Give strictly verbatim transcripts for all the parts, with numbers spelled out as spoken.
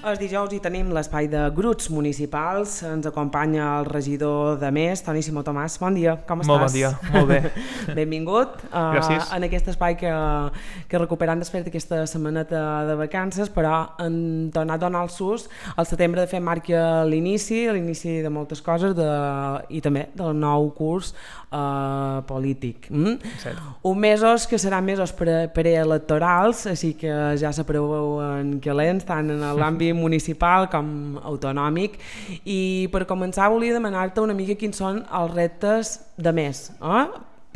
Els dijous hi tenim l'espai de grups municipals. Ens acompanya el regidor de Més, Toni Simó Tomàs. Bon dia, com estàs? Molt bon dia, molt bé. Benvingut. Gràcies. Uh, en aquest espai que, que recuperant després d'aquesta setmaneta de vacances, però en tornar a donar el sus. El setembre, de fet, marca l'inici, l'inici de moltes coses de, i també del nou curs uh, polític. Mm? Un mesos que seran mesos pre preelectorals, així que ja s'aproveu en calents, tant en l'àmbit municipal com autonòmic. I per començar volia demanar-te una mica quins són els reptes de Més. Eh?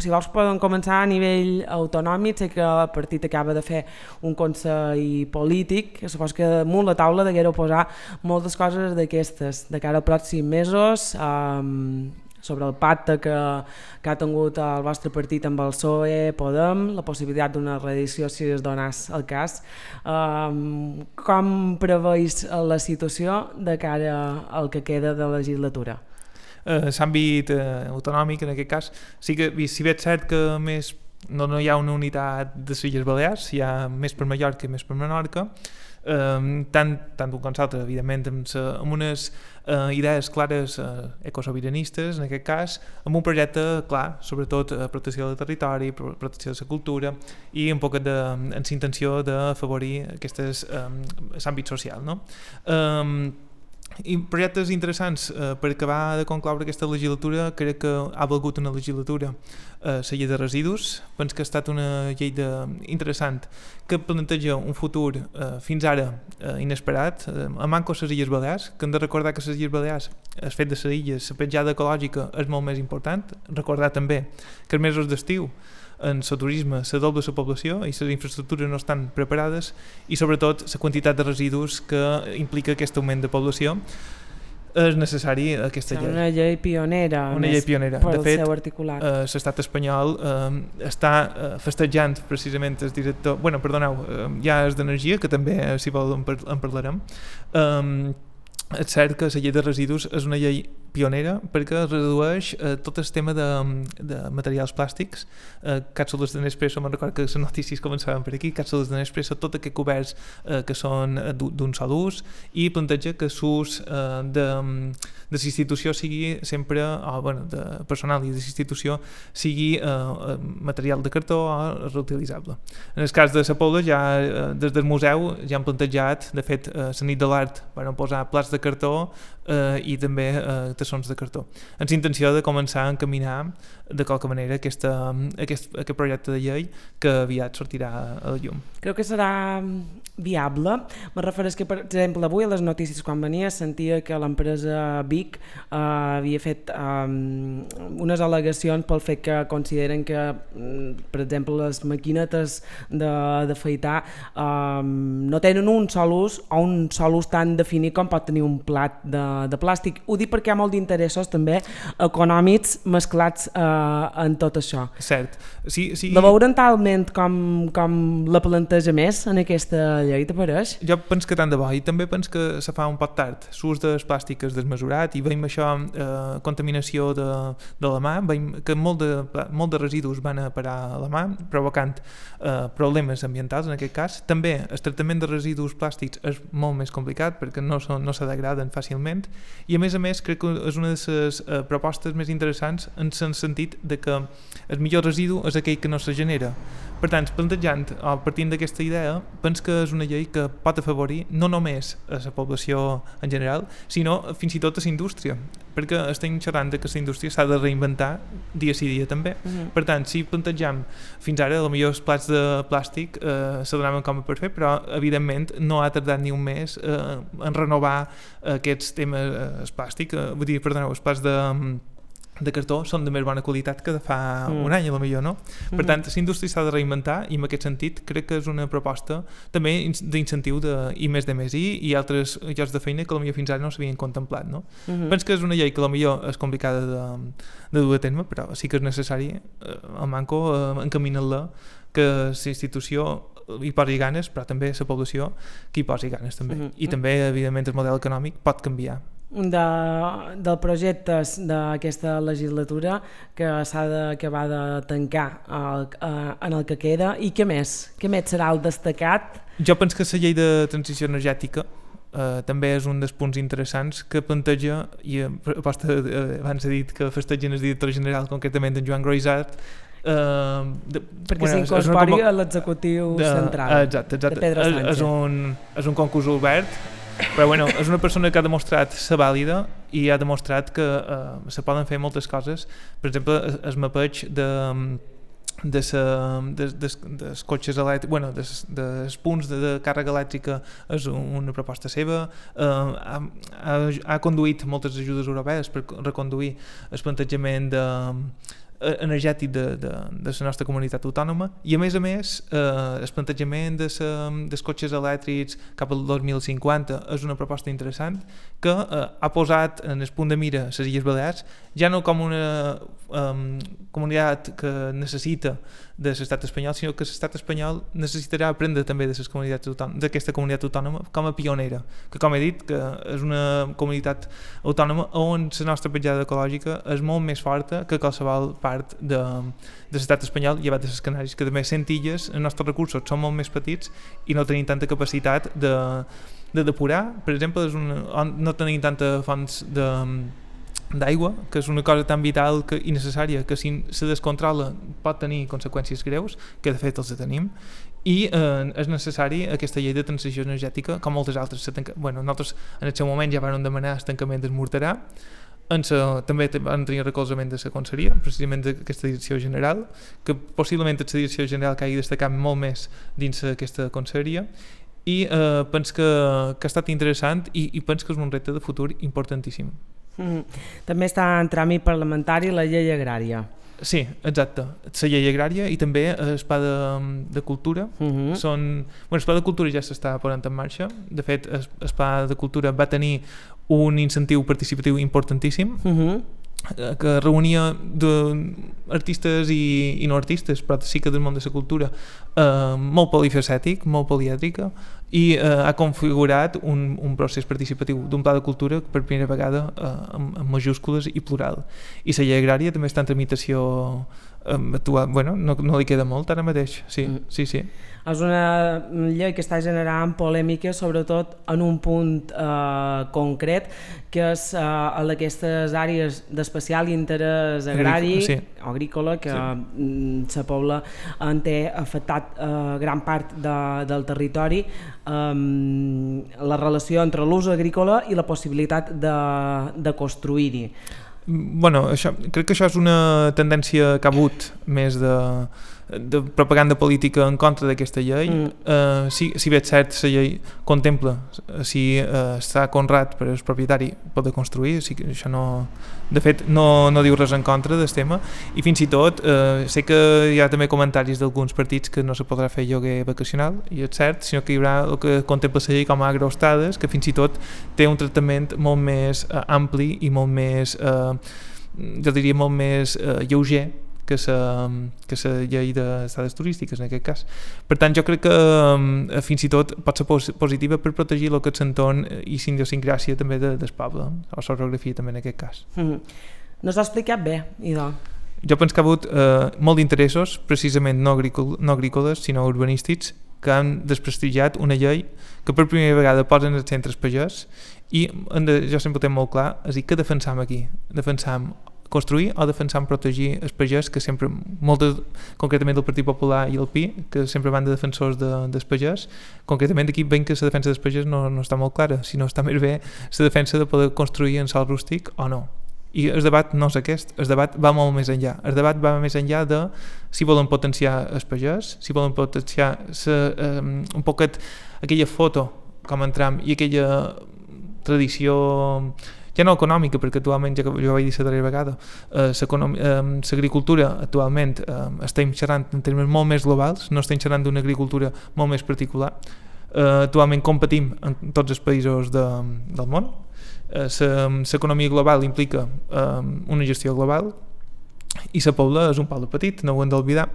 Si vols poden començar a nivell autonòmic. Sé que el partit acaba de fer un consell polític, que supos que damunt la taula deguereu posar moltes coses d'aquestes de cara als pròxims mesos, um, sobre el pacte que, que ha tingut el vostre partit amb el P S O E, Podem, la possibilitat d'una reedició si es donés el cas. Um, com preveus la situació de cara al que queda de legislatura? Uh, L'àmbit uh, autonòmic, en aquest cas, sí que, si bé és cert que més no, no hi ha una unitat de les Illes Balears, hi ha més per Mallorca i més per Menorca, Um, tant, tant un com l'altre, evidentment, amb, sa, amb unes uh, idees clares uh, ecosobiranistes, en aquest cas, amb un projecte clar, sobretot uh, protecció del territori, protecció de la cultura i un poc de, amb la intenció d'afavorir aquests um, l'àmbit social, no? Um, I projectes interessants eh, per acabar de concloure aquesta legislatura. Crec que ha valgut una legislatura eh, la llei de residus. Penso que ha estat una llei de, interessant que planteja un futur eh, fins ara eh, inesperat, eh, a manco les Illes Balears, que hem de recordar que les Illes Balears, el fet de les illes, la petjada ecològica és molt més important. Recordar també que els mesos d'estiu en el turisme se dobla la població i les infraestructures no estan preparades, i sobretot la quantitat de residus que implica aquest augment de població. És necessari aquesta llei. Una llei pionera, una llei pionera. Per de fet, eh, l'estat espanyol eh, està eh, festejant precisament el director, bueno, perdoneu, eh, ja és d'energia, que també, eh, si vol, en, par en parlarem. Eh, és cert que la llei de residus és una llei pionera perquè redueix eh, tot el tema de, de materials plàstics, eh, càpsules de Nespresso, me'n recordo que les notícies començaven per aquí, càpsules de Nespresso, tot aquests coberts eh, que són d'un sol ús, i planteja que l'ús eh, de, de l'institució sigui sempre, o bueno, de personal i de l'institució sigui eh, material de cartó o reutilitzable. En el cas de la Pobla, ja eh, des del museu ja han plantejat, de fet, eh, la nit de l'art van posar plats de cartó eh, i també eh, tassons de cartó, amb la intenció de començar a encaminar de qualque manera aquesta, aquest, aquest projecte de llei que aviat sortirà a la llum. Crec que serà viable. Me refereix que, per exemple, avui a les notícies quan venia sentia que l'empresa Vic eh, havia fet eh, unes al·legacions pel fet que consideren que, per exemple, les maquinetes d'afaitar eh, no tenen un sol ús o un sol ús tan definit com pot tenir un plat de, de plàstic. Ho dic perquè hi ha molts interessos també econòmics mesclats eh, en tot això. Cert. Sí, sí. La veuran talment com, com la planteja Més en aquesta llei, te pareix? Jo penso que tant de bo, i també penso que se fa un poc tard. L'ús de les plàstiques desmesurat, i veiem això, eh, contaminació de, de la mà, veiem que molt de, molt de residus van a parar a la mà, provocant eh, problemes ambientals en aquest cas. També el tractament de residus plàstics és molt més complicat perquè no, són, no se degraden fàcilment, i a més a més crec que és una de les eh, propostes més interessants en el sentit de que el millor residu és aquell que no se genera. Per tant, plantejant o partint d'aquesta idea, penso que és una llei que pot afavorir no només a la població en general, sinó fins i tot a la indústria, perquè estem xerrant que la indústria s'ha de reinventar dia sí dia també. Uh-huh. Per tant, si plantegem fins ara, potser els plats de plàstic eh, se donaven com a per fer, però evidentment no ha tardat ni un mes eh, en renovar aquests temes, eh, el plàstic, eh, vull dir, perdoneu, els plats de de cartó són de més bona qualitat que de fa mm. un any, a lo millor, no? Per mm-hmm. tant, la indústria s'ha de reinventar, i en aquest sentit crec que és una proposta també d'incentiu de I més de més I i altres llocs de feina que potser fins ara no s'havien contemplat, no? Mm-hmm. Penso que és una llei que potser és complicada de, de dur a terme, però sí que és necessari, eh, al manco, eh, encaminar-la, que la institució hi posi ganes, però també la població que hi posi ganes també. Mm-hmm. I també, evidentment, el model econòmic pot canviar. De, del projectes d'aquesta legislatura que s'ha d'acabar de tancar el, eh, en el que queda, i què més? Què més serà el destacat? Jo penso que la llei de transició energètica eh, també és un dels punts interessants que planteja, i aposta, eh, abans he dit que festegen el director general, concretament en Joan Groisart, Uh, de, perquè bueno, s'incorpori com... a l'executiu de, central exacte, exacte. de Pedro Sánchez. És, és, un, és un concurs obert, però bueno, és una persona que ha demostrat ser vàlida i ha demostrat que uh, se poden fer moltes coses. Per exemple, el, el mapeig de de sa, des, des, des cotxes elèctrics, bueno, des, des punts de, de càrrega elèctrica és una proposta seva. Uh, ha, ha, ha conduït moltes ajudes europees per reconduir el plantejament de energètic de, de, de la nostra comunitat autònoma, i a més a més eh, el plantejament de sa, dels cotxes elèctrics cap al dos mil cinquanta és una proposta interessant que eh, ha posat en el punt de mira les Illes Balears, ja no com una um, comunitat que necessita de l'estat espanyol, sinó que l'estat espanyol necessitarà aprendre també de les comunitats autònomes, d'aquesta comunitat autònoma com a pionera, que com he dit que és una comunitat autònoma on la nostra petjada ecològica és molt més forta que qualsevol part de, de l'estat espanyol, llevat de les Canàries, que també cent illes, els nostres recursos són molt més petits i no tenim tanta capacitat de, de depurar, per exemple, és una, no tenim tanta fonts de d'aigua, que és una cosa tan vital que, i necessària, que si se descontrola pot tenir conseqüències greus, que de fet els tenim, i eh, és necessari aquesta llei de transició energètica, com moltes altres. Tanca... Bueno, nosaltres en el seu moment ja vam demanar el tancament del Morterà, en sa, també van tenir recolzament de la Conselleria, precisament d'aquesta direcció general, que possiblement és la direcció general que hagi destacat molt més dins aquesta Conselleria, i eh, penso que, que ha estat interessant i, i penso que és un repte de futur importantíssim. Mm. També està en tràmit parlamentari la llei agrària. Sí, exacte, la llei agrària i també el pla de, de cultura. Uh-huh. Són, bueno, el pla de cultura ja s'està posant en marxa. De fet, el, el pla de cultura va tenir un incentiu participatiu importantíssim, uh-huh. que reunia de artistes i, i no artistes, però sí que del món de la cultura, eh, molt polifacètic, molt polièdrica, i eh, ha configurat un, un procés participatiu d'un pla de cultura per primera vegada eh, amb, amb majúscules i plural. I la llei agrària també està en tramitació eh, actual. Bueno, no, no li queda molt ara mateix, sí, mm. sí, sí. És una llei que està generant polèmica, sobretot en un punt eh, concret, que és eh, en aquestes àrees d'especial interès agrari sí. o agrícola, que sí. la Pobla en té afectat eh, gran part de, del territori, eh, la relació entre l'ús agrícola i la possibilitat de, de construir-hi. Bueno, això, crec que això és una tendència que ha hagut més de, de propaganda política en contra d'aquesta llei. Mm. Uh, si, si bé és cert, la llei contempla si uh, està conrat per el propietari poder construir, o sigui, això no, de fet no, no diu res en contra del tema, i fins i tot uh, sé que hi ha també comentaris d'alguns partits que no se podrà fer lloguer vacacional, i és cert, sinó que hi haurà el que contempla la llei com a agroestades, que fins i tot té un tractament molt més uh, ampli i molt més, uh, jo diria molt més uh, lleuger que la que la llei d'estades turístiques en aquest cas. Per tant, jo crec que um, fins i tot pot ser pos positiva per protegir el que és l'entorn i la idiosincràsia també de, del poble, o la geografia també en aquest cas. Mm-hmm. No s'ha explicat bé, idò. Jo penso que ha hagut eh, molt d'interessos, precisament no, agrícol, no agrícoles, sinó urbanístics, que han desprestigiat una llei que per primera vegada posen els centres pagès, i de, jo sempre ho tenc molt clar, és a dir, què defensam aquí? Defensam construir o defensant protegir els pagès, que sempre, molt de, concretament del Partit Popular i el P I, que sempre van de defensors de, dels pagès, concretament aquí veiem que la defensa dels pagès no, no està molt clara, sinó està més bé la defensa de poder construir en sòl rústic o no. I el debat no és aquest, el debat va molt més enllà. El debat va més enllà de si volen potenciar els pagès, si volen potenciar sa, um, un poquet aquella foto com en Trump i aquella tradició ja no econòmica, perquè actualment, ja que jo vaig dir la darrera vegada, l'agricultura eh, actualment eh, estem xerrant en termes molt més globals, no estem xerrant d'una agricultura molt més particular. Eh, actualment competim en tots els països de, del món. Eh, l'economia global implica eh, una gestió global, i la Pobla és un poble petit, no ho hem d'oblidar,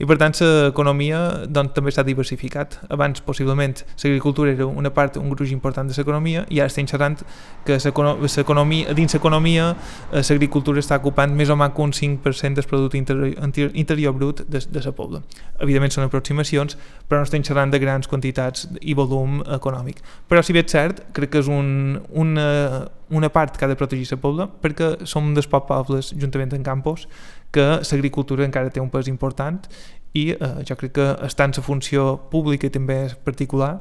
i per tant l'economia doncs, també s'ha diversificat. Abans possiblement l'agricultura era una part, un gruix important de l'economia, i ara estem xerrant que l'economia, dins l'economia l'agricultura està ocupant més o menys un cinc per cent del producte interior, interior brut de, de la Pobla. Evidentment són aproximacions, però no estem xerrant de grans quantitats i volum econòmic. Però si bé és cert, crec que és un, una, una part que ha de protegir la Pobla, perquè som dels pocs pobles, juntament amb Campos, que l'agricultura encara té un pes important i eh, jo crec que està en la funció pública i també particular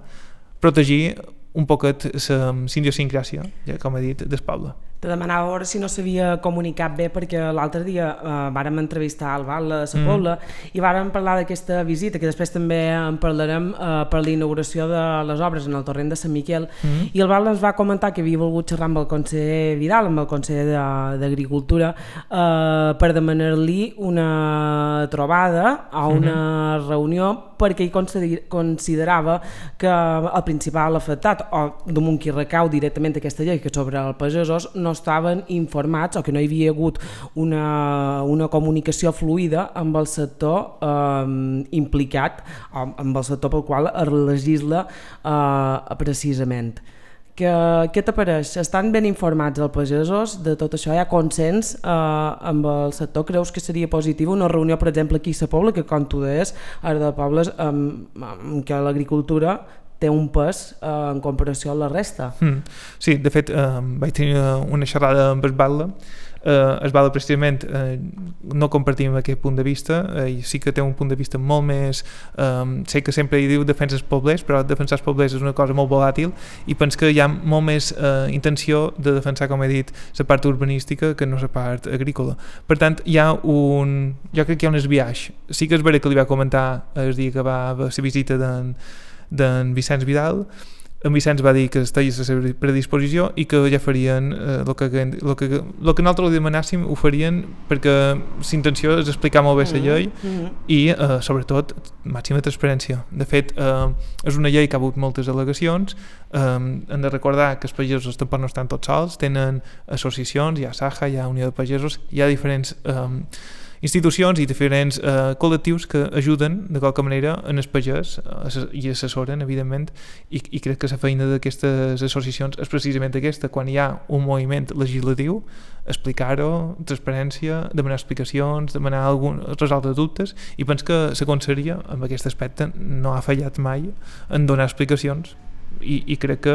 protegir un poquet la idiosincràsia, ja com he dit, del poble. Te demanava a veure si no s'havia comunicat bé, perquè l'altre dia eh, vàrem entrevistar el Val de la Pobla mm. i vàrem parlar d'aquesta visita, que després també en parlarem eh, per la inauguració de les obres en el torrent de Sant Miquel, mm. i el Val ens va comentar que havia volgut xerrar amb el conseller Vidal, amb el conseller d'Agricultura, eh, per demanar-li una trobada o una mm. reunió, perquè ell considerava que el principal afectat, o damunt qui recau directament aquesta llei, que sobre els pagesos, no estaven informats o que no hi havia hagut una, una comunicació fluida amb el sector eh, implicat, o amb el sector pel qual es legisla eh, precisament. Que, què t'apareix? Estan ben informats els pagesos de tot això? Hi ha consens eh, amb el sector? Creus que seria positiu una reunió, per exemple, aquí a la Pobla, que com tu deies, ara de pobles en, en què l'agricultura té un pes eh, en comparació a la resta? Mm. Sí, de fet, eh, vaig tenir una xerrada amb el Batlle. Eh, el Batlle, precisament, eh, no compartim aquest punt de vista, eh, i sí que té un punt de vista molt més... Eh, sé que sempre hi diu defensa els poblers, però defensar els poblers és una cosa molt volàtil, i penso que hi ha molt més eh, intenció de defensar, com he dit, la part urbanística que no la part agrícola. Per tant, hi ha un... jo crec que hi ha un esbiaix. Sí que és vera que li va comentar el dia que va a la visita d'en d'en Vicenç Vidal. En Vicenç va dir que estaria a la seva predisposició i que ja farien el eh, que, lo que, lo que nosaltres li demanàssim ho farien, perquè l'intenció és explicar molt bé la llei mm-hmm. i eh, sobretot màxima transparència. De fet, eh, és una llei que ha hagut moltes al·legacions, eh, hem de recordar que els pagesos tampoc no estan tots sols, tenen associacions, hi ha Saja, hi ha Unió de Pagesos, hi ha diferents eh, institucions i diferents eh, col·lectius que ajuden de qualque manera en el pagès eh, i assessoren, evidentment, i, i crec que la feina d'aquestes associacions és precisament aquesta, quan hi ha un moviment legislatiu, explicar-ho, transparència, demanar explicacions, demanar algun, resoldre dubtes, i penso que la conselleria en aquest aspecte no ha fallat mai en donar explicacions, i, i crec que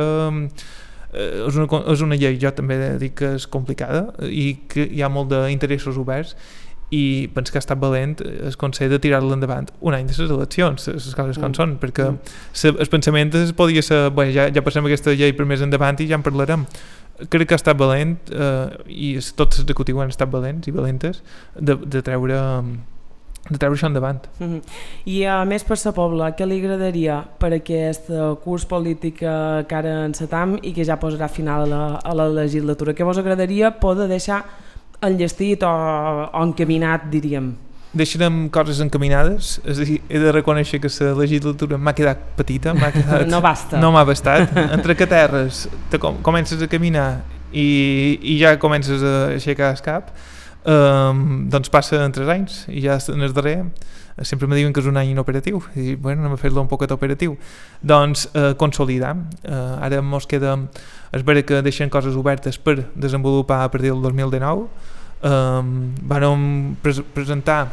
eh, és, una, és una llei, jo també dic que és complicada i que hi ha molt d'interessos oberts, i penso que ha estat valent el Consell de tirar-la endavant un any de les eleccions, les coses com mm. són, perquè mm. el pensament podia ser, bé, ja, ja passem aquesta llei per més endavant i ja en parlarem. Crec que ha estat valent eh, i tots els executius han estat valents i valentes de, de treure de treure això endavant. Mm-hmm. I a més, per la Pobla, què li agradaria per aquest curs polític que ara encetam i que ja posarà final a la, a la legislatura? Què vos agradaria poder deixar enllestit o, o encaminat, diríem? Deixarem coses encaminades, és a dir, he de reconèixer que la legislatura m'ha quedat petita, m'ha quedat... no basta. No m'ha bastat. Entre que terres te com, comences a caminar i, i ja comences a aixecar el cap, um, doncs passa en tres anys i ja en el darrer sempre me diuen que és un any inoperatiu i bueno, anem a fer-lo un poquet operatiu. Doncs eh, consolidar. Eh, ara mos queda, és vera que deixen coses obertes per desenvolupar a partir del dos mil dinou. Eh, vam pres presentar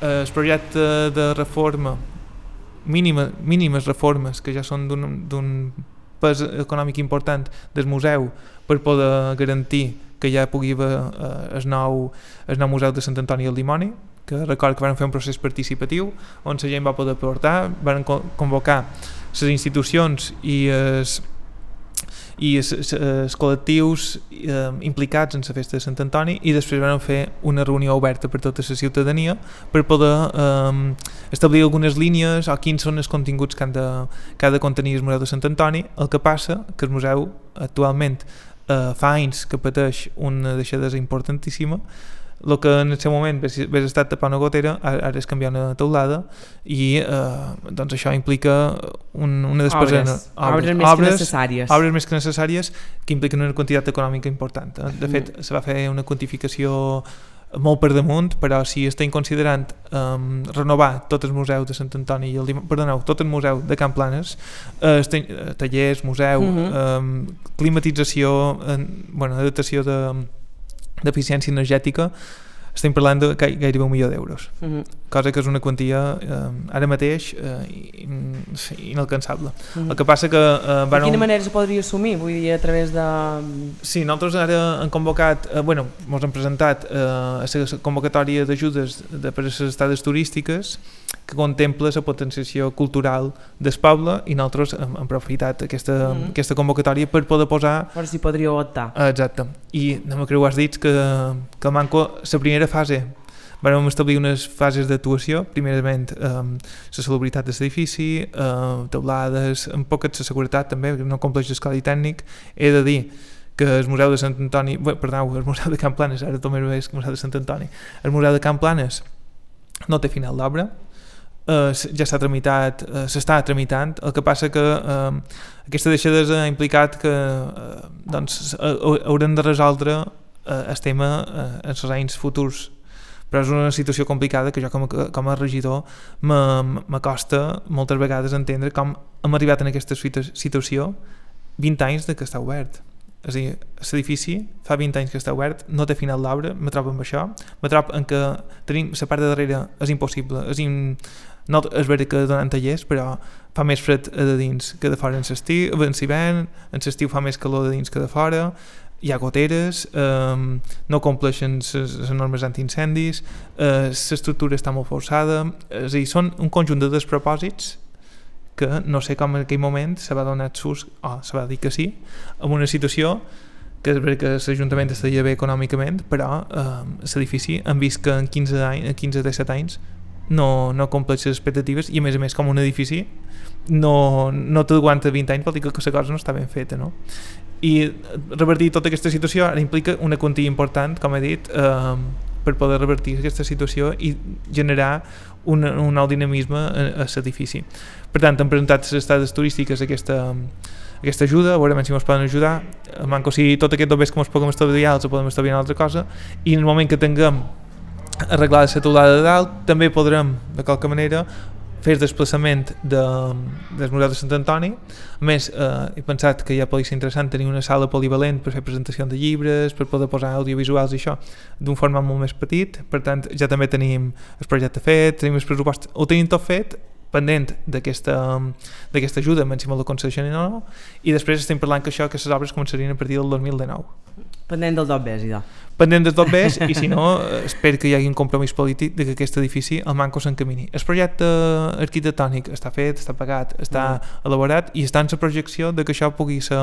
eh, el projecte de reforma, mínima, mínimes reformes que ja són d'un pes econòmic important del museu per poder garantir que ja pugui haver eh, el, nou, el nou museu de Sant Antoni al Dimoni, que record que van fer un procés participatiu on la gent va poder portar, van convocar les institucions i els, i els, els col·lectius eh, implicats en la festa de Sant Antoni, i després van fer una reunió oberta per tota la ciutadania per poder eh, establir algunes línies o quins són els continguts que, han de, que ha de contenir el museu de Sant Antoni. El que passa que el museu actualment eh, fa anys que pateix una deixadesa importantíssima. El que en el seu moment hagués estat tapar una gotera, ara és canviar una teulada, i eh, doncs això implica un, una despesa... Obres, obres, obres més obres, que necessàries. Obres més que necessàries, que impliquen una quantitat econòmica important. De fet, mm. se va fer una quantificació molt per damunt, però si estem considerant um, renovar tot el museu de Sant Antoni i el, perdoneu, tot el museu de Can Planes, uh, estem, uh, tallers, museu, uh-huh. um, climatització, uh, bueno, adaptació de, d'eficiència energètica, estem parlant de gairebé un milió d'euros, uh-huh. cosa que és una quantia eh, ara mateix eh, inalcançable. Uh-huh. El que passa que... Eh, de quina un... manera se podria assumir? Vull dir, a través de... Sí, nosaltres ara hem convocat, eh, bueno, ens hem presentat eh, a la convocatòria d'ajudes de, per a les estades turístiques que contempla la potenciació cultural del poble i nosaltres hem, hem aprofitat aquesta, uh-huh. aquesta convocatòria per poder posar... Per si podríeu optar. Exacte. I no me creu, has dit que, que el Manco, la primera fase vam establir unes fases d'actuació, primerament eh, la salubritat de l'edifici, eh, teulades, un poc de seguretat també, perquè no compleix el codi tècnic. He de dir que el Museu de Sant Antoni, bé, perdó, el Museu de Can Planes, ara tot més bé és que el Museu de Sant Antoni, el Museu de Can Planes no té final d'obra, eh, ja s'ha tramitat, eh, s'està tramitant, el que passa que eh, aquesta deixadesa ha implicat que eh, doncs, haurem de resoldre eh, el tema eh, en els anys futurs, però és una situació complicada que jo com a, com a regidor m'acosta moltes vegades entendre com hem arribat en aquesta situació vint anys de que està obert. És a dir, l'edifici fa vint anys que està obert, no té final d'obra, me trobo amb això, me trobo en que tenim la part de darrere és impossible, és, in, no, és veritat que donen tallers, però fa més fred de dins que de fora en l'estiu, en l'hivern, en l'estiu fa més calor de dins que de fora, hi ha goteres, eh, no compleixen les normes antiincendis, eh, l'estructura està molt forçada, és a dir, són un conjunt de despropòsits que no sé com en aquell moment se va donar sus, o oh, se va dir que sí, en una situació que és veritat que l'Ajuntament estaria bé econòmicament, però eh, l'edifici hem vist que en quinze a disset anys no, no compleix les expectatives i a més a més com un edifici no, no t'aguanta vint anys, vol dir que la cosa no està ben feta, no? I revertir tota aquesta situació ara implica una quantia important, com he dit, eh, per poder revertir aquesta situació i generar un, un nou dinamisme a, a l'edifici. Per tant, hem presentat les estades turístiques aquesta, aquesta ajuda, a veure si ens poden ajudar, manco si tot aquest dobbers que ens puguem estalviar els podem estalviar una altra cosa, i en el moment que tinguem arreglada la teulada de dalt també podrem, de qualque manera, fer el desplaçament de, del Museu de Sant Antoni. A més, eh, he pensat que ja podria ser interessant tenir una sala polivalent per fer presentació de llibres, per poder posar audiovisuals i això d'un format molt més petit. Per tant, ja també tenim el projecte fet, tenim el pressupost, ho tenim tot fet, pendent d'aquesta d'aquesta ajuda, menys si me la concedeixen o no, i després estem parlant que això, que les obres començarien a partir del dos mil dinou. Pendent del dobbers, idò. Pendent del dobbers, i si no, espero que hi hagi un compromís polític de que aquest edifici, el Manco, s'encamini. El projecte arquitectònic està fet, està pagat, està mm. elaborat, i està en la projecció de que això pugui ser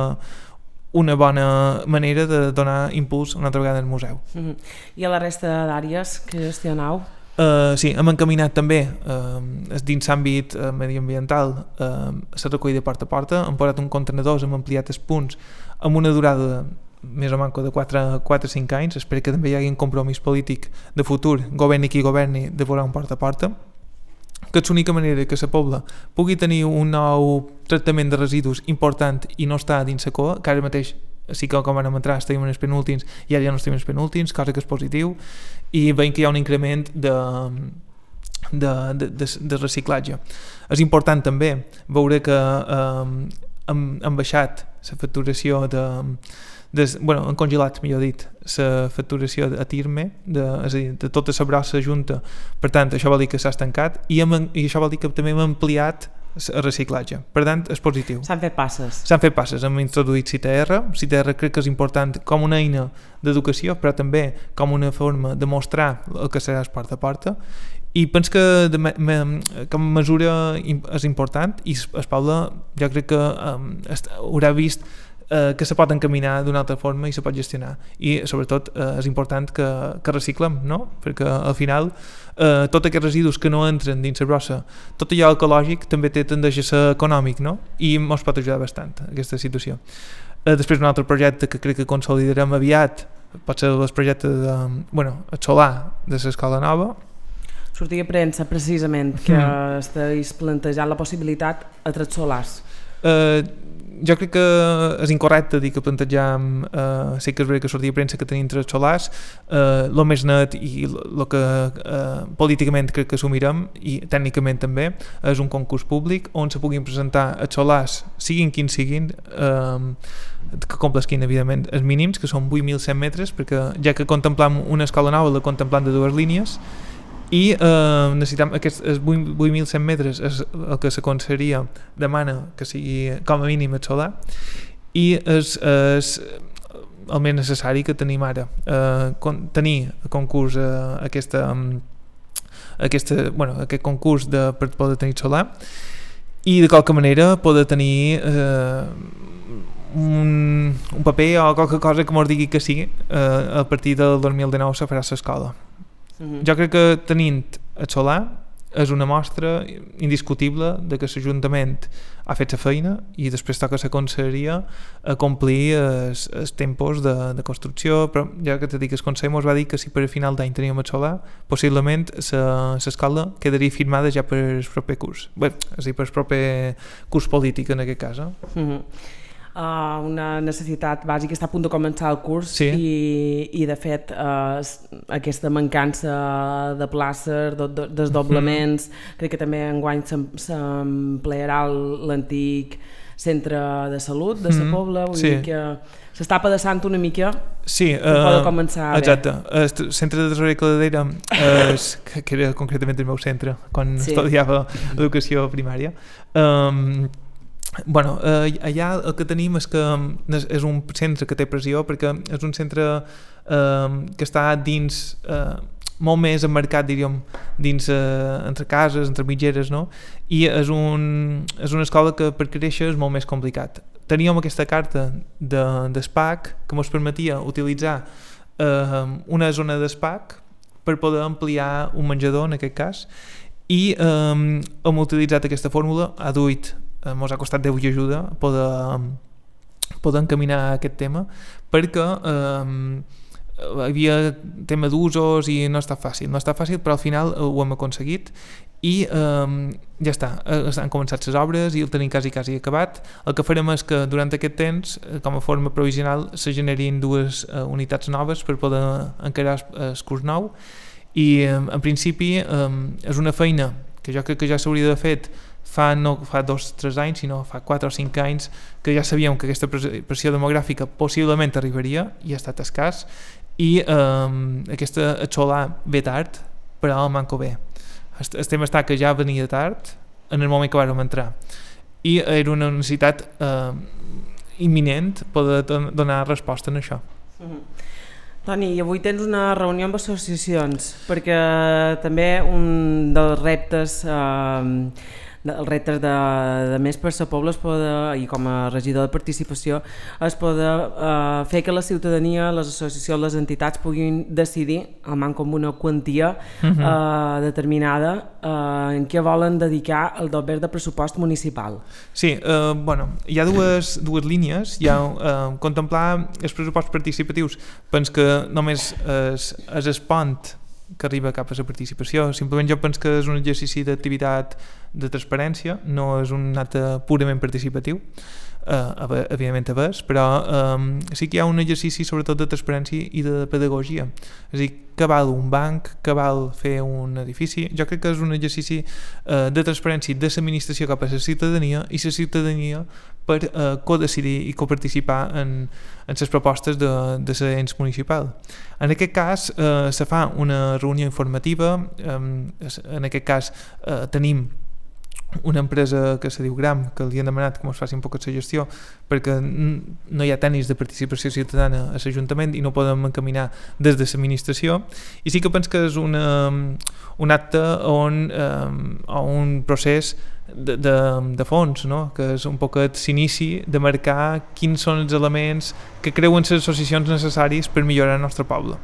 una bona manera de donar impuls una altra vegada al museu. Mm-hmm. I a la resta d'àrees que gestionau? Uh, sí, hem encaminat també uh, dins l'àmbit uh, mediambiental uh, la recollida porta a porta, hem posat un contenedor, hem ampliat els punts amb una durada més o manco de quatre a cinc anys. Espero que també hi hagi un compromís polític de futur, governi qui governi, de posar un porta a porta, que és l'única manera que la pobla pugui tenir un nou tractament de residus important i no estar dins la cua, que ara mateix sí que com vam entrar estàvem en els penúltims i ara ja no estem en els penúltims, cosa que és positiu, i veiem que hi ha un increment de, de, de, de, de reciclatge. És important també veure que eh, hem, hem baixat la facturació de, de, bueno, han congelat, millor dit, la facturació a Tirme, de, és a dir, de tota la brossa junta, per tant això vol dir que s'ha estancat, i, hem, i això vol dir que també hem ampliat el reciclatge, per tant és positiu. S'han fet passes. S'han fet passes, hem introduït C T R, C T R crec que és important com una eina d'educació, però també com una forma de mostrar el que serà es porta a porta, i penso que de me, me, com a mesura és important, i el poble jo crec que um, haurà vist eh, que se pot encaminar d'una altra forma i se pot gestionar, i sobretot eh, és important que, que reciclem, no? Perquè al final eh, tots aquests residus que no entren dins la brossa, tot allò ecològic també té tendència a ser econòmic, no? I ens pot ajudar bastant aquesta situació. Eh, després un altre projecte que crec que consolidarem aviat pot ser el projecte de, bueno, el solar de l'escola nova. Sortia a premsa precisament que mm. estàs plantejant la possibilitat a tres solars. Eh, jo crec que és incorrecte dir que plantejam, eh, sé que és veritat que sortia premsa que tenim tres solars, eh, lo més net i el que eh, políticament crec que assumirem, i tècnicament també, és un concurs públic on se puguin presentar els solars, siguin quins siguin, eh, que complesquin evidentment els mínims, que són vuit mil cent metres, perquè ja que contemplam una escola nova la contemplam de dues línies, i eh, necessitam aquests vuit mil cent metres és el que s'aconseguiria, demana que sigui com a mínim el solar, i és, és el més necessari que tenim ara, eh, con, tenir a concurs eh, aquesta, aquesta, bueno, aquest concurs de, per poder tenir solar, i de qualque manera poder tenir eh, un, un paper o qualque cosa que mos digui que sí, eh, a partir del dos mil dinou se farà l'escola. Uh-huh. Jo crec que tenint el solar és una mostra indiscutible de que l'Ajuntament ha fet la feina i després toca la conselleria a complir els, els tempos de, de construcció, però ja que t'he dit que el Consell ens va dir que si per a final d'any teníem el solar, possiblement l'escola quedaria firmada ja per el proper curs, bé, és a dir, per el proper curs polític en aquest cas. Eh? Uh-huh. Uh, una necessitat bàsica, està a punt de començar el curs, sí. i, i de fet uh, aquesta mancança de places, de, de, desdoblaments, mm-hmm. crec que també enguany s'emplearà l'antic centre de salut de mm-hmm. Sa Pobla, vull sí. dir que s'està pedaçant una mica, sí, per uh, poder començar a exacte. El centre de Tresorer Cladera, és, que era concretament el meu centre quan sí. estudiava educació primària, um, bueno, eh, allà el que tenim és que és un centre que té pressió perquè és un centre eh, que està dins, eh, molt més emmarcat, diríem, dins eh, entre cases, entre mitgeres, no? I és, un, és una escola que per créixer és molt més complicat. Teníem aquesta carta de, d'ESPAC que ens permetia utilitzar eh, una zona d'ESPAC per poder ampliar un menjador, en aquest cas, i eh, hem utilitzat aquesta fórmula, ha duit ens ha costat Déu i ajuda poder, poder encaminar aquest tema perquè eh, hi havia tema d'usos i no està fàcil, no està fàcil però al final ho hem aconseguit i eh, ja està, han començat les obres i el tenim quasi quasi acabat. El que farem és que durant aquest temps, com a forma provisional, se generin dues eh, unitats noves per poder encarar el curs nou i eh, en principi eh, és una feina que jo crec que ja s'hauria de fet fa no fa dos o tres anys, sinó fa quatre o cinc anys que ja sabíem que aquesta pressió demogràfica possiblement arribaria i ha estat escàs i eh, aquesta el solar ve tard però el manco bé. El tema està que ja venia tard en el moment que vàrem entrar i era una necessitat eh, imminent poder donar resposta en això. Mm-hmm. Toni, avui tens una reunió amb associacions perquè també un dels reptes eh, els reptes de, de més per Sa Pobla es poder, i com a regidor de participació es poder eh, fer que la ciutadania, les associacions, les entitats puguin decidir, almenys com una quantia uh-huh. eh, determinada eh, en què volen dedicar el doble de pressupost municipal. Sí, eh, bueno, hi ha dues, dues línies, hi ha eh, contemplar els pressupostos participatius, penso que només és, és el pont que arriba cap a la participació, simplement jo penso que és un exercici d'activitat de transparència, no és un acte purament participatiu, eh, evidentment a vegades, però eh, sí que hi ha un exercici sobretot de transparència i de pedagogia, és a dir, que val un banc, que val fer un edifici, jo crec que és un exercici eh, de transparència de l'administració cap a la ciutadania i la ciutadania per eh, codecidir i coparticipar en, en les propostes de, de l'ens municipal. En aquest cas eh, se fa una reunió informativa, eh, en aquest cas eh, tenim una empresa que se diu Gram, que li han demanat que ens faci un poc la gestió perquè no hi ha tècnics de participació ciutadana a l'Ajuntament i no podem encaminar des de l'administració i sí que penso que és una, un acte on, um, o un procés de, de, de fons, no? Que és un poquet s'inici de marcar quins són els elements que creuen les associacions necessaris per millorar el nostre poble.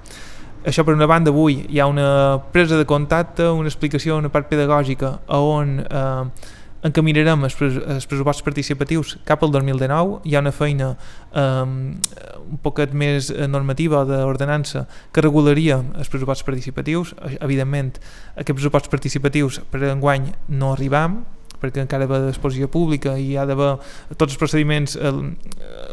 Això per una banda, avui hi ha una presa de contacte, una explicació, una part pedagògica on eh, encaminarem els, pres els pressupostos participatius cap al dos mil dinou. Hi ha una feina eh, un poquet més normativa d'ordenança que regularia els pressupostos participatius. Evidentment, aquests pressupostos participatius per enguany no arribam perquè encara va d'exposició pública i hi ha d'haver tots els procediments eh,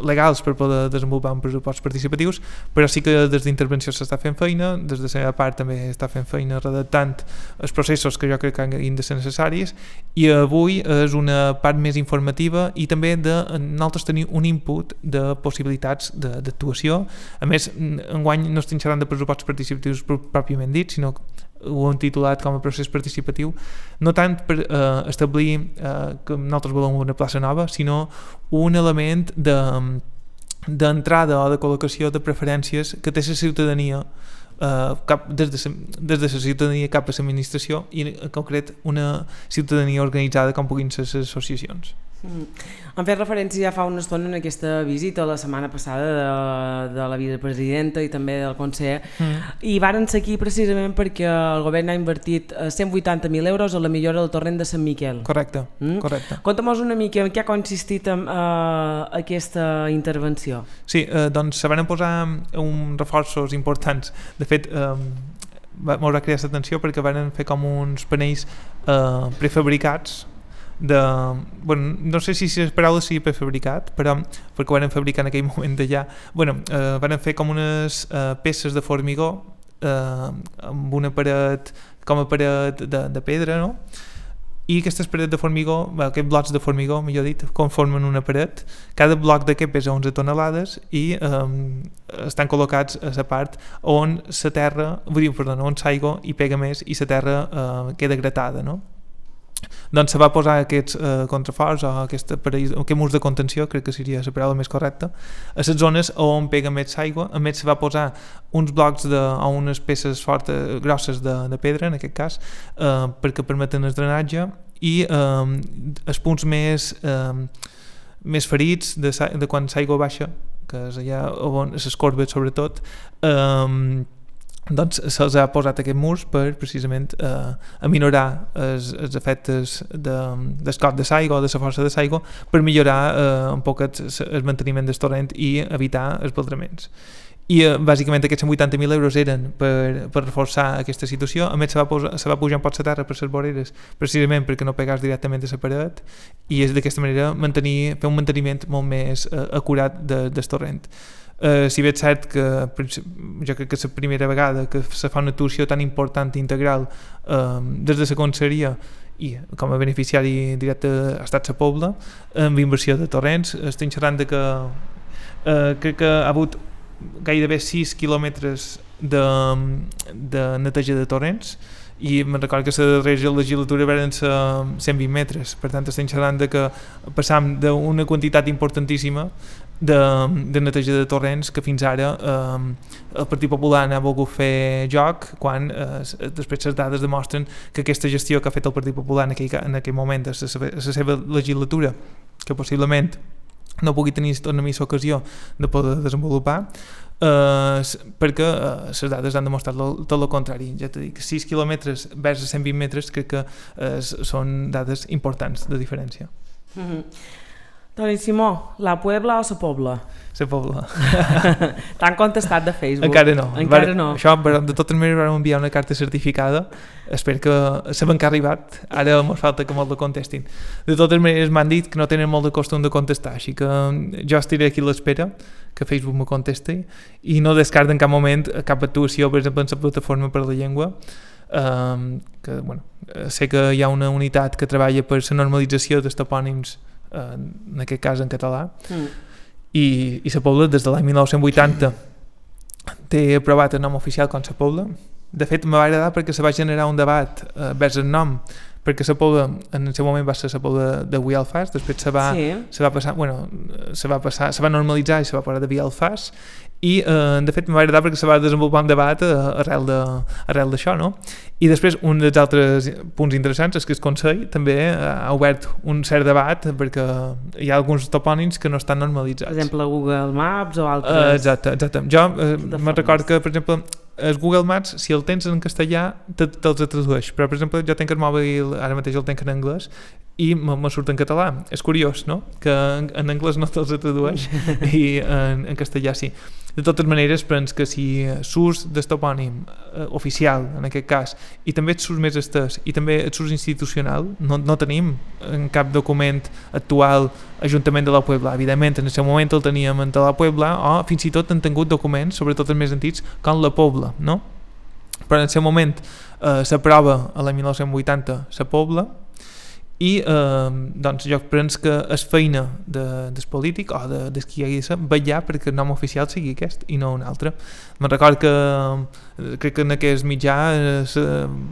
legals per poder desenvolupar un pressupost participatius, però sí que des d'intervenció s'està fent feina, des de la seva part també està fent feina redactant els processos que jo crec que han de ser necessaris, i avui és una part més informativa i també de nosaltres tenir un input de possibilitats d'actuació. A més, enguany no estem xerrant de pressupostos participatius pròpiament dit, sinó que ho hem titulat com a procés participatiu, no tant per eh, establir eh, que nosaltres volem una plaça nova, sinó un element de d'entrada o de col·locació de preferències que té la ciutadania eh, cap, des, de, des de la ciutadania cap a l'administració, i en concret una ciutadania organitzada com puguin ser les associacions. Mm. Han fet referència ja fa una estona en aquesta visita la setmana passada de, de la vicepresidenta i també del conseller, mm. i varen ser aquí precisament perquè el govern ha invertit cent vuitanta mil euros a la millora del torrent de Sant Miquel. Correcte, mm? correcte. Conta'm-nos una mica en què ha consistit en, uh, aquesta intervenció. Sí, eh, doncs se van posar uns reforços importants. De fet, eh, m'haurà cridat l'atenció perquè van fer com uns panells eh, prefabricats de, bueno, no sé si les paraules sigui prefabricat, però perquè ho van fabricar en aquell moment d'allà, bueno, eh, van fer com unes eh, peces de formigó eh, amb una paret com a paret de, de pedra, no? I aquestes parets de formigó, aquests blocs de formigó, millor dit, conformen una paret. Cada bloc d'aquest pesa onze tonelades i eh, estan col·locats a la part on la terra, vull dir, perdona, on l'aigua hi pega més i la terra eh, queda gratada, no? Doncs se va posar aquests eh, contraforts o aquest, aparell, aquest murs de contenció, crec que seria la paraula més correcta, a les zones on pega més aigua. A més se va posar uns blocs de, o unes peces fortes, grosses de, de pedra, en aquest cas, eh, perquè permeten el drenatge, i eh, els punts més, eh, més ferits de, de quan l'aigua baixa, que és allà on les corbes sobretot, eh, doncs se'ls ha posat aquest murs per precisament eh, aminorar els, els efectes de, del cop de l'aigua o de la força de l'aigua, per millorar eh, un poc el, el manteniment del torrent i evitar els baldraments. I eh, bàsicament aquests cent vuitanta mil euros eren per, per reforçar aquesta situació. A més se va, posar, se va pujar un pot la terra per les voreres precisament perquè no pegàs directament a la paret, i és d'aquesta manera mantenir, fer un manteniment molt més eh, acurat de, del torrent. Uh, si bé és cert que jo crec que és la primera vegada que se fa una actuació tan important i integral uh, des de la conselleria, i com a beneficiari directe ha estat la Pobla amb inversió de torrents. Estem xerrant de que uh, crec que ha hagut gairebé sis quilòmetres de, de neteja de torrents, i me'n recordo que la darrera legislatura eren cent vint metres. Per tant, estem xerrant de que passam d'una quantitat importantíssima de, de neteja de torrents que fins ara eh, el Partit Popular n'ha volgut fer joc, quan eh, després les dades demostren que aquesta gestió que ha fet el Partit Popular en aquell, en aquell moment de la, la seva legislatura, que possiblement no pugui tenir una més ocasió de poder desenvolupar, Uh, perquè uh, les dades han demostrat lo, tot el contrari. Ja t'he dit, sis quilòmetres vers cent vint metres crec que uh, són dades importants de diferència. Mm-hmm. Toni Simó, la Puebla o la Pobla? La Pobla. T'han contestat de Facebook? Encara no. Encara Var, no. Això, però de totes maneres vam enviar una carta certificada. Espero que sabem que ha arribat. Ara ens falta que molt la contestin. De totes maneres m'han dit que no tenen molt de costum de contestar, així que jo estiré aquí a l'espera que Facebook me contesti, i no descarta en cap moment cap actuació, per exemple, en la plataforma per la llengua. Um, que, bueno, sé que hi ha una unitat que treballa per la normalització dels topònims, en aquest cas en català, mm. i, i la Pobla des de l'any mil nou-cents vuitanta té aprovat el nom oficial com la Pobla. De fet, me va agradar perquè se va generar un debat eh, vers el nom, perquè la Pobla en el seu moment va ser la Pobla de Vielfas, després se va, sí. se va passar, bueno, se va passar, se va normalitzar i se va parlar de Vielfas, i eh, de fet m'ha agradat perquè se va desenvolupar un debat eh, arrel de, arrel d'això, no? I després un dels altres punts interessants és que el Consell també ha obert un cert debat perquè hi ha alguns topònims que no estan normalitzats. Per exemple, Google Maps o altres... Uh, exacte, exacte. Jo eh, me'n recordo que, per exemple, el Google Maps, si el tens en castellà, te, te'ls tradueix, però, per exemple, jo tenc el mòbil, ara mateix el tenc en anglès, i me surt en català. És curiós, no?, que en, en anglès no te'ls tradueix i en, en castellà sí. De totes maneres, penso que si l'ús del topònim eh, oficial, en aquest cas, i també el ús més estès, i també el ús institucional, no, no tenim en cap document actual Ajuntament de la Puebla. Evidentment, en el seu moment el teníem en la Puebla, o fins i tot han tingut documents, sobretot els més antics, com la Pobla, no? Però en el seu moment eh, s'aprova a l'any dinou vuitanta la Pobla, i eh, doncs jo penso que és feina de, del polític o de, de qui hi hagi de ser vetllar perquè el nom oficial sigui aquest i no un altre. Me'n record que crec que en aquest mitjà el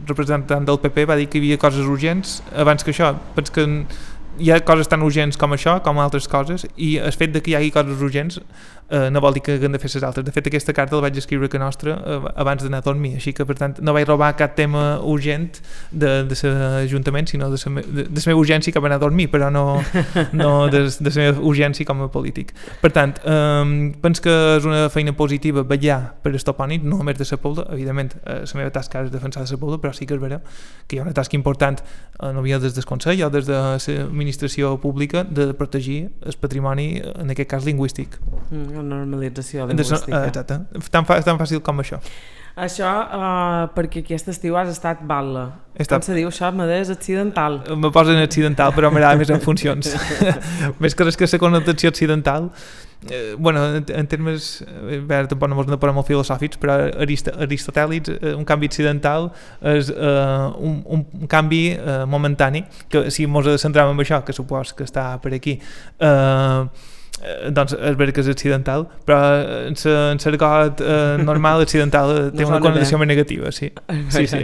representant del P P va dir que hi havia coses urgents abans que això. Penso que hi ha coses tan urgents com això, com altres coses, i el fet de que hi hagi coses urgents eh, no vol dir que haguem de fer les altres. De fet, aquesta carta la vaig escriure que nostra eh, abans d'anar a dormir, així que per tant no vaig robar cap tema urgent de, de l'Ajuntament, sinó de la de, de meva urgència cap a anar a dormir, però no, no de, de la meva urgència com a polític. Per tant, eh, penso que és una feina positiva vetllar per el topònim, no només de la Pobla. Evidentment, eh, la meva tasca és defensar la Pobla, però sí que és vera que hi ha una tasca important, eh, no havia des del Consell o des de la administració pública, de protegir el patrimoni, en aquest cas lingüístic. Mm, la normalització lingüística. De, exacte, tan, fa, tan fàcil com això. Això uh, perquè aquest estiu has estat batlle. Estat... Com se diu això? M'adés accidental. Me posen accidental, però m'agrada més en funcions. Més que res que la connotació accidental, eh, bueno, en, en termes, eh, bé, tampoc no ens posem molt filosòfics, però arist aristotèlics, eh, un canvi accidental és eh, un, un canvi eh, momentani, que si ens centrem en això, que supos que està per aquí, eh, Eh, doncs és veritat que és accidental, però en l'argot eh, normal accidental té no una connotació més negativa, sí. Sí, sí.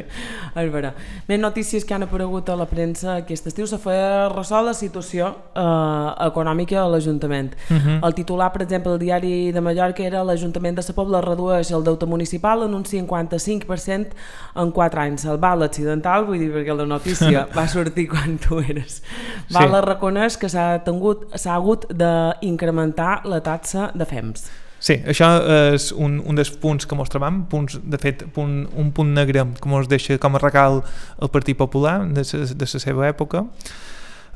És vera. Més notícies que han aparegut a la premsa aquest estiu. Se feia ressò la situació eh, econòmica a l'Ajuntament. Uh -huh. El titular, per exemple, del diari de Mallorca era: l'Ajuntament de la Pobla redueix el deute municipal en un cinquanta-cinc per cent en quatre anys. El Val accidental, vull dir, perquè la notícia va sortir quan tu eres. Val sí. Reconeix que s'ha hagut d'incrementar la taxa de Fems. Sí, això és un, un dels punts que mos trobam, punts, de fet, punt, un punt negre que mos deixa com a regal el Partit Popular de la seva època.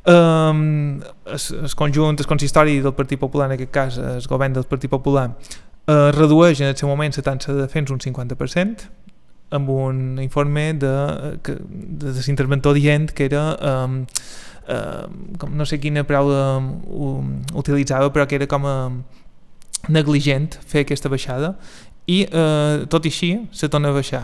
Um, el conjunt, el consistori del Partit Popular, en aquest cas el govern del Partit Popular, uh, redueix en el seu moment la taxa de Fems un cinquanta per cent, amb un informe de, de, de, de l'interventor dient que era... Um, Uh, com no sé quina paraula um, utilitzava, però que era com a negligent fer aquesta baixada, i uh, tot i així se torna a baixar.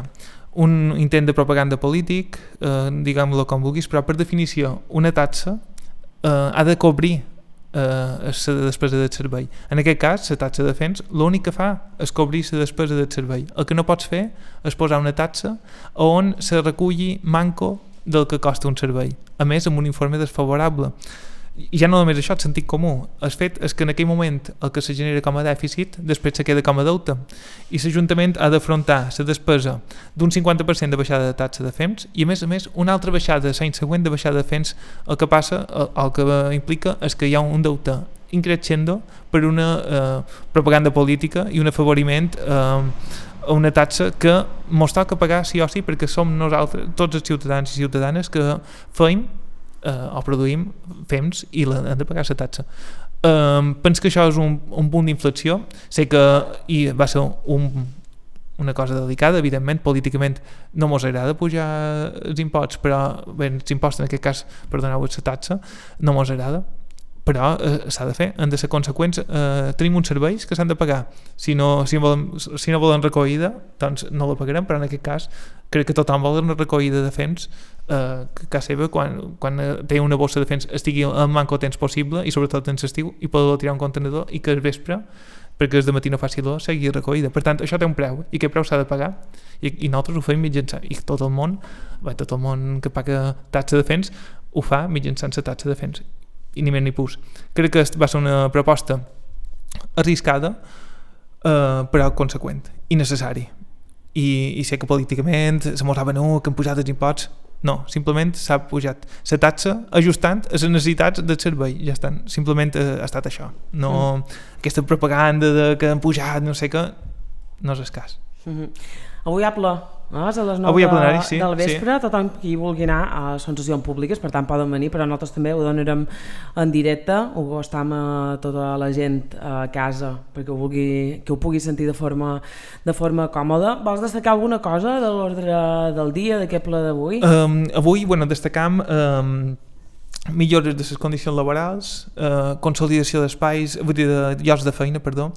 Un intent de propaganda polític, uh, diguem-lo com vulguis, però per definició una taxa uh, ha de cobrir uh, la despesa del servei. En aquest cas, la taxa de Fems l'únic que fa és cobrir la despesa del servei. El que no pots fer és posar una taxa on se reculli manco del que costa un servei, a més amb un informe desfavorable. I ja no només això, el sentit comú. El fet és que en aquell moment el que se genera com a dèficit després se queda com a deute, i l'Ajuntament ha d'afrontar la despesa d'un cinquanta per cent de baixada de taxa de Fems i a més a més una altra baixada l'any següent de baixada de Fems. El que passa, el, el que implica és que hi ha un deute increixendo per una eh, propaganda política i un afavoriment eh, a una taxa que mos toca pagar sí o sí, perquè som nosaltres, tots els ciutadans i ciutadanes que feim eh, o produïm Fems i la, hem de pagar la taxa. Um, penso que això és un, un punt d'inflexió. Sé que i va ser un, una cosa delicada, evidentment, políticament no mos agrada pujar els imposts, però bé, els impostos en aquest cas, perdoneu, la taxa, no mos agrada, però eh, s'ha de fer, han de ser conseqüents. Eh, tenim uns serveis que s'han de pagar. Si no, si, volem, si no volen recollida, doncs no la pagarem, però en aquest cas crec que tothom vol una recollida de Fems eh, que a casa seva, quan, quan té una bossa de Fems, estigui el manco temps possible, i sobretot en l'estiu, i poder tirar un contenedor, i que el vespre, perquè és de matí no faci l'or, sigui recollida. Per tant, això té un preu, i aquest preu s'ha de pagar, i, i nosaltres ho fem mitjançant, i tot el món, bé, tot el món que paga taxa de Fems ho fa mitjançant la taxa de Fems, i ni més ni pus. Crec que va ser una proposta arriscada, eh, però conseqüent i necessari, i, i sé que políticament se mos saben no, que han pujat els imposts. No, simplement s'ha pujat la taxa ajustant a les necessitats del servei, ja estan, simplement ha estat això, no mm. aquesta propaganda de que han pujat no sé què, no és el cas. Mm-hmm. Avui, Apple, No? A les nou Avui de, a plenari, sí, del vespre, sí. tothom qui vulgui anar, uh, són sessions públiques, per tant poden venir, però nosaltres també ho donarem en directe, ho estem a tota la gent a casa perquè ho, vulgui, que ho pugui sentir de forma, de forma còmoda. Vols destacar alguna cosa de l'ordre del dia, d'aquest ple d'avui? Um, avui, bueno, destacam um, millores de les condicions laborals, uh, consolidació d'espais, vull dir, de llocs de feina, perdó.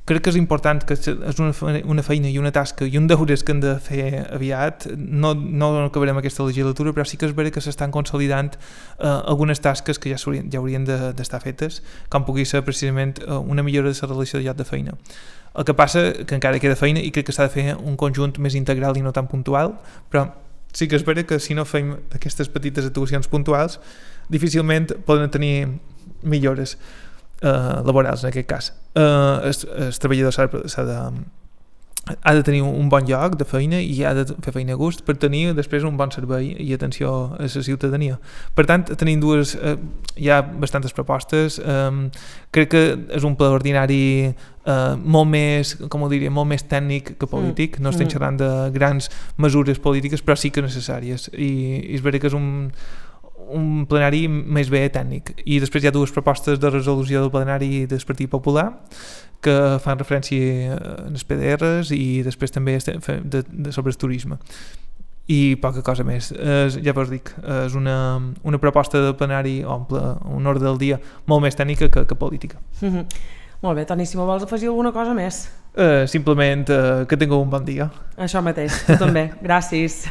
Crec que és important, que és una feina, una feina i una tasca i un deures que hem de fer aviat. No, no acabarem aquesta legislatura, però sí que és vera que s'estan consolidant uh, algunes tasques que ja, ja haurien d'estar de, fetes, com pugui ser precisament uh, una millora de la relació de lloc de feina. El que passa que encara queda feina i crec que s'ha de fer un conjunt més integral i no tan puntual, però sí que és vera que si no fem aquestes petites actuacions puntuals, difícilment poden tenir millores uh, laborals en aquest cas. Uh, el, el treballador s'ha de, ha de tenir un bon lloc de feina i ha de fer feina a gust per tenir després un bon servei i atenció a la ciutadania. Per tant, tenim dues, uh, hi ha bastantes propostes. Um, crec que és un ple ordinari uh, molt més, com ho diria, molt més tècnic que polític. No estem xerrant de grans mesures polítiques, però sí que necessàries. I, i és vera que és un un plenari més bé tècnic. I després hi ha dues propostes de resolució del plenari del Partit Popular que fan referència als P D Rs i després també de, de sobre el turisme. I poca cosa més. Eh, ja vos dic, és una, una proposta de plenari o un, ple, un ordre del dia molt més tècnica que, que política. Mm-hmm. Molt bé, Toni, si me vols afegir alguna cosa més? Eh, simplement eh, que tingueu un bon dia. Això mateix, tu també. Gràcies.